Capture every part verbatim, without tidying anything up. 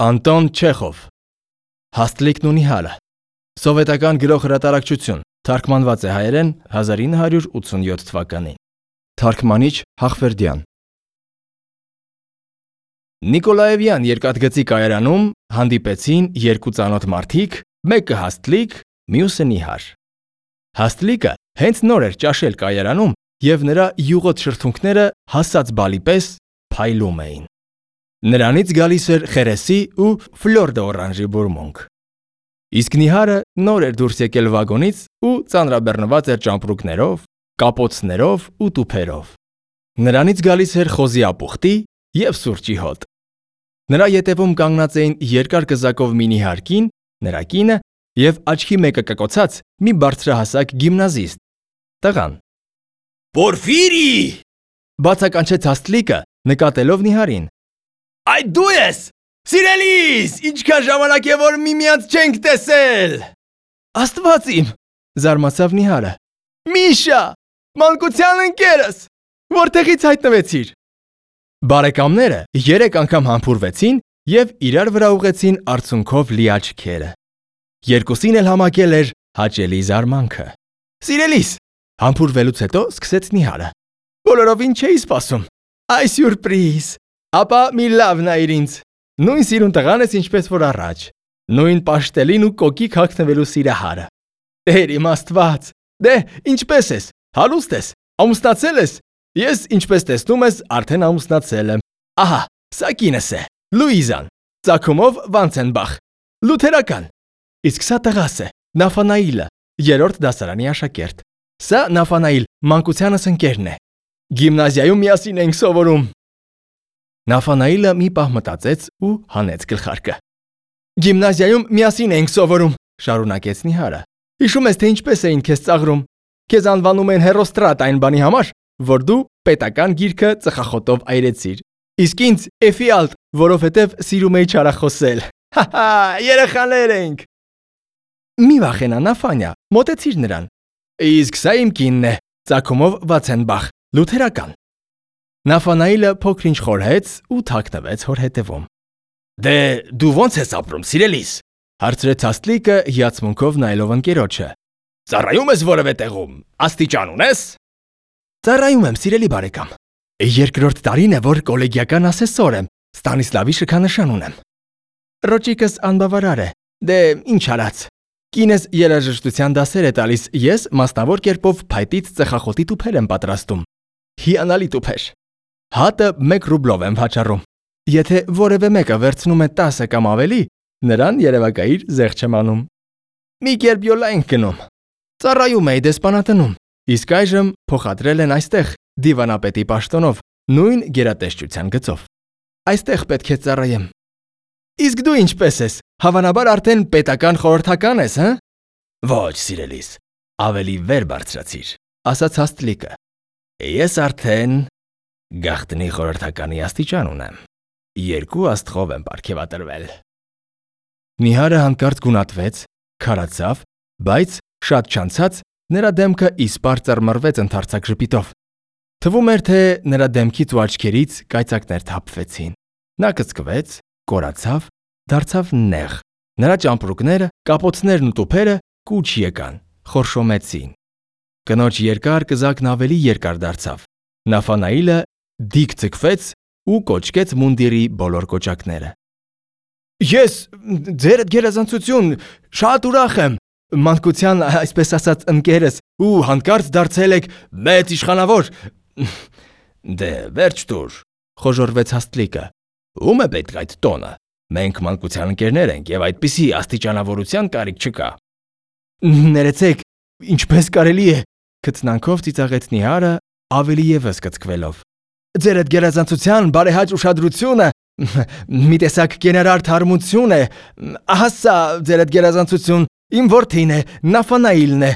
Անտոն Չեխով Հաստլիկն ու Նիհարը Սովետական գրող հրատարակչություն Թարգմանված է հայերեն հազար ինը հարյուր ութսունյոթ թվականին Թարգմանիչ Հախվերդյան Նիկոլաևյան երկաթգծի կայարանում հանդիպեցին երկու ծանոթ մարդիկ, մեկը Հաստլիկ, մյուսը Նիհար։ Հաստլիկը հենց նոր էր ճաշել կայարանում և նրա յուղոտ շրթունքները հասած բալի պես փայլում էին։ Նրանից գալիս էր խերեսի ու ֆլոր դե օրանժի բուրմունք։ Իսկ Նիհարը նոր էր դուրս եկել վագոնից ու ծանրաբեռնված էր ճամպրուկներով, կապոցներով ու տուփերով։ Նրանից գալիս էր խոզի ապուխտի և սուրճի հոտ։ Նրա ետևում կանգնած էին երկար կզակով մի նիհար կին, նրա կինը և աչքի մեկը կկոցած մի բարձրահասակ գիմնազիստ, տղան։ «Պորֆիրի!» բացականչեց Հաստլիկը, նկատելով Նիհարին։ «Այդ դու ես, սիրելիս, ինչքան ժամանակ է որ միմյանց չենք տեսել»։ «Աստված իմ», զարմացավ Նիհարը։ «Միշա, մանկության ընկերս, որտեղից հայտնվեցիր»։ Բարեկամները երեք անգամ համբուրվեցին և իրար վրա ուղղեցին արցունքով լի աչքերը։ Երկուսին էլ համակել էր հաճելի զարմանքը։ «Սիրելիս», համբուրվելուց հետո սկսեց Նիհարը։ «Բոլորովին չէի սպասում։ Այ սյուրպրիզ։ Ապա մի լավ նայիր ինձ։ Նույն սիրուն տղան ես, ինչպես որ առաջ։ Նույն պաշտելին ու կոկիկ հագնվելու սիրահարը։ Տեր իմ Աստված։ Դե, ինչպես ես։ Հարուստ ես։ Ամուսնացել ես։ Ես, ինչպես տեսնում ես, արդեն ամուսնացել եմ։ Ահա, սա կինս է, Լուիզան, ծագումով Վանցենբախ, լութերական։ Իսկ սա տղաս է, Նաֆանայիլը, երրորդ դասարանի աշակերտ։ Սա Նաֆանայիլ, մանկությանս ընկերն է։ Գիմնազիայում միասին ենք սովորում»։ Նաֆանայիլը մի պահ մտածեց ու հանեց գլխարկը։ «Գիմնազիայում միասին ենք սովորում», շարունակեց Նիհարը։ «Հիշում ես, թե ինչպես էին քեզ ծաղրում։ Քեզ անվանում են հերոստրատ այն բանի համար, որ դու պետական գիրքը ծխախոտով այրեցիր։ Իսկ ինձ Էֆիալտ, որովհետև սիրում էի չարախոսել։ Հա-հա, երեխաներ ենք»։ «Մի վախենա, Նաֆանյա, մոտեցիր նրան։ Իսկ սա իմ կինն է, ծագումով Վացենբախ, լութերական»։ Նաֆանայիլը փոքր-ինչ խորհեց ու թաքնվեց հոր հետևում։ «Դե դու ո՞նց ես ապրում, սիրելիս», հարցրեց Հաստլիկը հիացմունքով նայելով ընկերոջը։ «Ծառայում ես որևէ տեղում, աստիճան ունես»։ «Ծառայում եմ, սիրելի բարեկամ։ Երկրորդ տարին է, որ կոլեգիական ասեսոր եմ, Ստանիսլավի շքանշան ունեմ։ Ռոճիկս անբավարար է, դե ինչ արած։ Կինս երաժշտության դասեր է տալիս, ես մասնավոր կերպով փայտից ծխախոտի տուփեր եմ պատրաստում։ Հիանալի տուփեր։ Հատը մեկ ռուբլով եմ վաճառում։ Եթե որևէ մեկը վերցնում է տասը կամ ավելի, նրան երևակայիր զեղ չեմ անում։ Մի կերպ յոլա ենք գնում։ Ծառայում էի դեսպանատնում, իսկ այժմ փոխադրել են այստեղ դիվանապետի պաշտոնով, նույն գերատեսչության գծով։ Այստեղ պետք է ծառայեմ։ Իսկ դու ինչպես ես, հավանաբար արդեն պետական խորհրդական ես, հը։ Ոչ, սիրելիս, ավելի վեր բարձրացիր, ասաց Հաստլիկը։ Ես արդեն գաղտնի խորհրդականի աստիճան ունեմ։ Երկու աստղով եմ պարգևատրվել։ Նիհարը հանկարծ գունատվեց, քարացավ, բայց շատ չանցած նրա դեմքը իսպառ ծռմռվեց ընդարձակ ժպիտով։ Թվում էր, թե նրա դեմքից ու աչքերից կայծակներ թափվեցին։ Նա կծկվեց, կորացավ, դարձավ նեղ։ Նրա ճամպրուկները, կապոցներն ու տուփերը կուչ եկան, խորշոմեցին։ Կնոջ երկար կզակն ավելի երկար դարձավ։ Նաֆանայիլը դիք ձգվեց ու կոչկեց մունդիրի բոլոր կոճակները։ Ես, ձերդ գերազանցություն, շատ ուրախ եմ, մանկության, այսպես ասած, ընկերս, ու հանկարծ դարձել եք մեծ իշխանավոր։ Դե վերջ տուր, խոժոռվեց Հաստլիկը։ Ում է պետք այդ տոնը։ Մենք մանկության ընկերներ ենք և այդպիսի աստիճանավորության կարիք չկա։ Ներեցեք, ինչպես կարելի է, քթնանքով ծիծաղեց Նիհարը, ավելի ևս կծկվելով։ Ձերդ գերազանցության բարեհաճ ուշադրությունը մի տեսակ կենարար թարմություն է։ Ահա սա ձերդ գերազանցություն, իմ որդին է, Նաֆանայիլն է,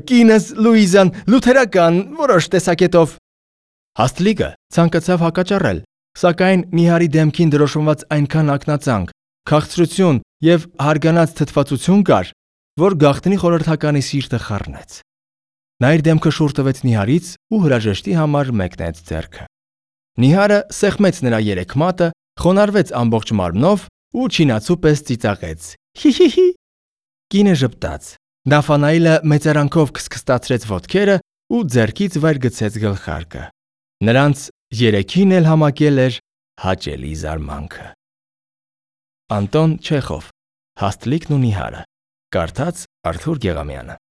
կինս Լուիզան, լութերական, որոշ տեսակետով։ Հաստլիկը ցանկացավ հակաճառել, սակայն Նիհարի դեմքին դրոշմված այնքան ակնածանք, քաղցրություն և հարգանած թթվածություն կար, որ գաղտնի խորհրդականի սիրտը խառնեց։ Նա իր դեմքը շուռ տվեց Նիհարից ու հրաժեշտի համար մեկնեց ձեռքը։ Նիհարը սեղմեց նրա երեք մատը, խոնարհվեց ամբողջ մարմնով ու չինացու պես ծիծաղեց. «Հի՛հի՛հի»։ Կինը ժպտաց։ Նաֆանայելը մեծարանքով քսքստացրեց ոտքերը ու ձեռքից վայր գցեց գլխարկը։ Նրանց երեքին էլ համակել էր հաճելի զարմանքը։ Անտոն Չեխով, Հասթլիկն ու նիհարը։ Կարդաց Արթուր Գեղամյանը։